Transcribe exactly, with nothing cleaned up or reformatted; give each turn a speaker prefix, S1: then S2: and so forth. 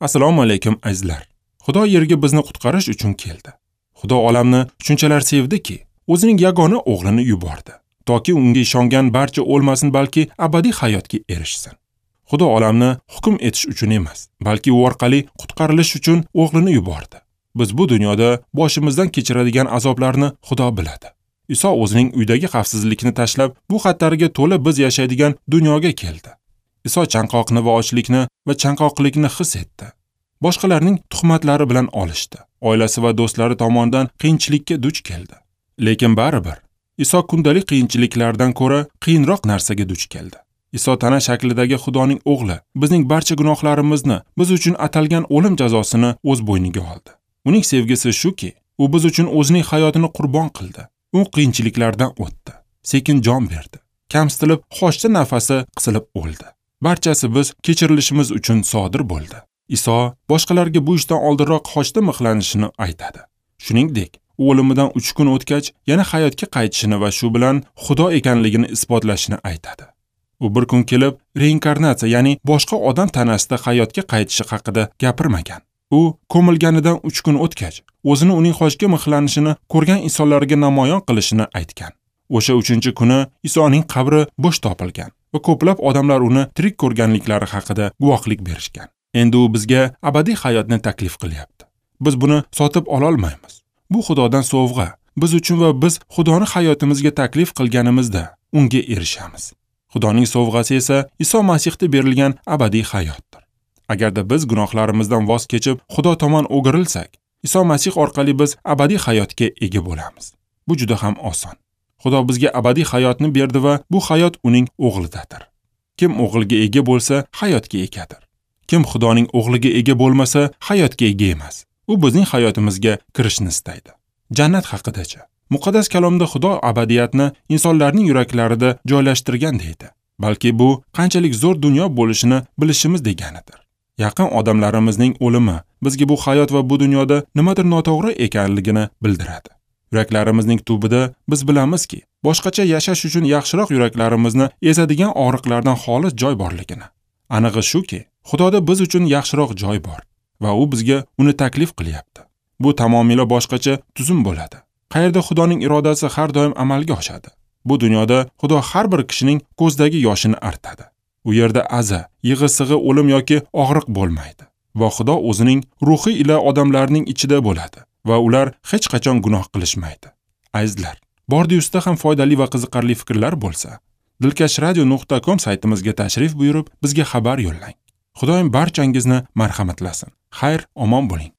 S1: Assalomu alaykum azizlar. Xudo yerga bizni qutqarish uchun keldi. Xudo olamni shunchalar sevdiki, o'zining yagona o'g'lini yubordi, toki unga ishongan barcha o'lmasin, balki abadiy hayotga erishsin. Xudo olamni hukm etish uchun emas, balki u orqali qutqarilish uchun o'g'lini yubordi. Biz bu dunyoda boshimizdan kechiradigan azoblarni Xudo biladi. Iso o'zining uydagi xavfsizlikni tashlab, bu xatarga to'la biz yashaydigan dunyoga keldi. Iso chanqoqni va ochlikni va chanqoqlikni his etdi. Boshqalarning tuhmatlari bilan olishdi. Oilasi va do'stlari tomonidan qiyinchilikka duch keldi. Lekin baribir Iso kundalik qiyinchiliklardan ko'ra qiyinroq narsaga duch keldi. Iso tana shaklidagi Xudoning o'g'li, bizning barcha gunohlarimizni, biz uchun atalgan o'lim jazosini o'z bo'yniga oldi. Uning sevgisi shuki, u biz uchun o'zining hayotini qurbon qildi. U qiyinchiliklardan o'tdi, sekin jon berdi. Kamsitilib, xochda nafasi qisilib o'ldi. Barchasi biz kechirilishimiz uchun sodir bo'ldi. Iso boshqalarga bu ishdan oldinroq xochda mixlanishini aytadi. Shuningdek, u o'limidan uch kun o'tgach yana hayotga qaytishini va shu bilan Xudo ekanligini isbotlashini aytadi. U bir kun kelib reinkarnatsiya, ya'ni boshqa odam tanasida hayotga qaytishi haqida gapirmagan. U ko'milganidan uch kun o'tgach, o'zini uning xochga mixlanishini ko'rgan insonlarga namoyon qilishini aytgan. O'sha uchinchi kuni Isoning qabri bo'sh topilgan va ko'plab odamlar uni tirik ko'rganliklari haqida guvohlik berishgan. Endi u bizga abadiy hayotni taklif qilyapti. Biz buni sotib ola olmaymiz. Bu Xudodan sovg'a. Biz uchun va biz Xudoni hayotimizga taklif qilganimizda unga erishamiz. Xudoning sovg'asi esa Iso Masihda berilgan abadiy hayotdir. Agarda biz gunohlarimizdan voz kechib Xudo tomon o'girilsak, Iso Masih orqali biz abadiy hayotga ega bo'lamiz. Bu juda ham oson. Xudo bizga abadiy hayotni berdi va bu hayot uning o'g'lidadir. Kim o'g'ilga ega bo'lsa, hayotga egadir. Kim Xudoning o'g'liga ega bo'lmasa, hayotga ega emas. U bizning hayotimizga kirishni istaydi. Jannat haqidacha. Muqaddas kalomda Xudo abadiyatni insonlarning yuraklarida joylashtirgan deydi. Balki bu qanchalik zo'r dunyo bo'lishini bilishimiz deganidir. Yaqin odamlarimizning o'limi bizga bu hayot va bu dunyoda nimadir noto'g'ri ekanligini bildiradi. Yuraklarimizning tubida biz bilamizki, boshqacha yashash uchun yaxshiroq yuraklarimizni ezadigan og'riqlardan xoli joy borligini. Anig'i shuki, Xudoda biz uchun yaxshiroq joy bor va u bizga uni taklif qilyapti. Bu tamomila boshqacha tuzum bo'ladi. Qayerda Xudoning irodasi har doim amalga oshadi. Bu dunyoda Xudo har bir kishining ko'zdagi yoshini artadi. U yerda aza, yig'i-sig'i, o'lim yoki og'riq bo'lmaydi. Va Xudo o'zining ruhi ila odamlarning ichida bo'ladi va ular hech qachon gunoh qilishmaydi. Azizlar, bordi-ustida ham foydali va qiziqarli fikrlar bo'lsa, dilkash radio nuqta com saytimizga tashrif buyurib, bizga xabar yo'llang. Xudoyim barchangizni marhamatlasin. Xayr, omon bo'ling.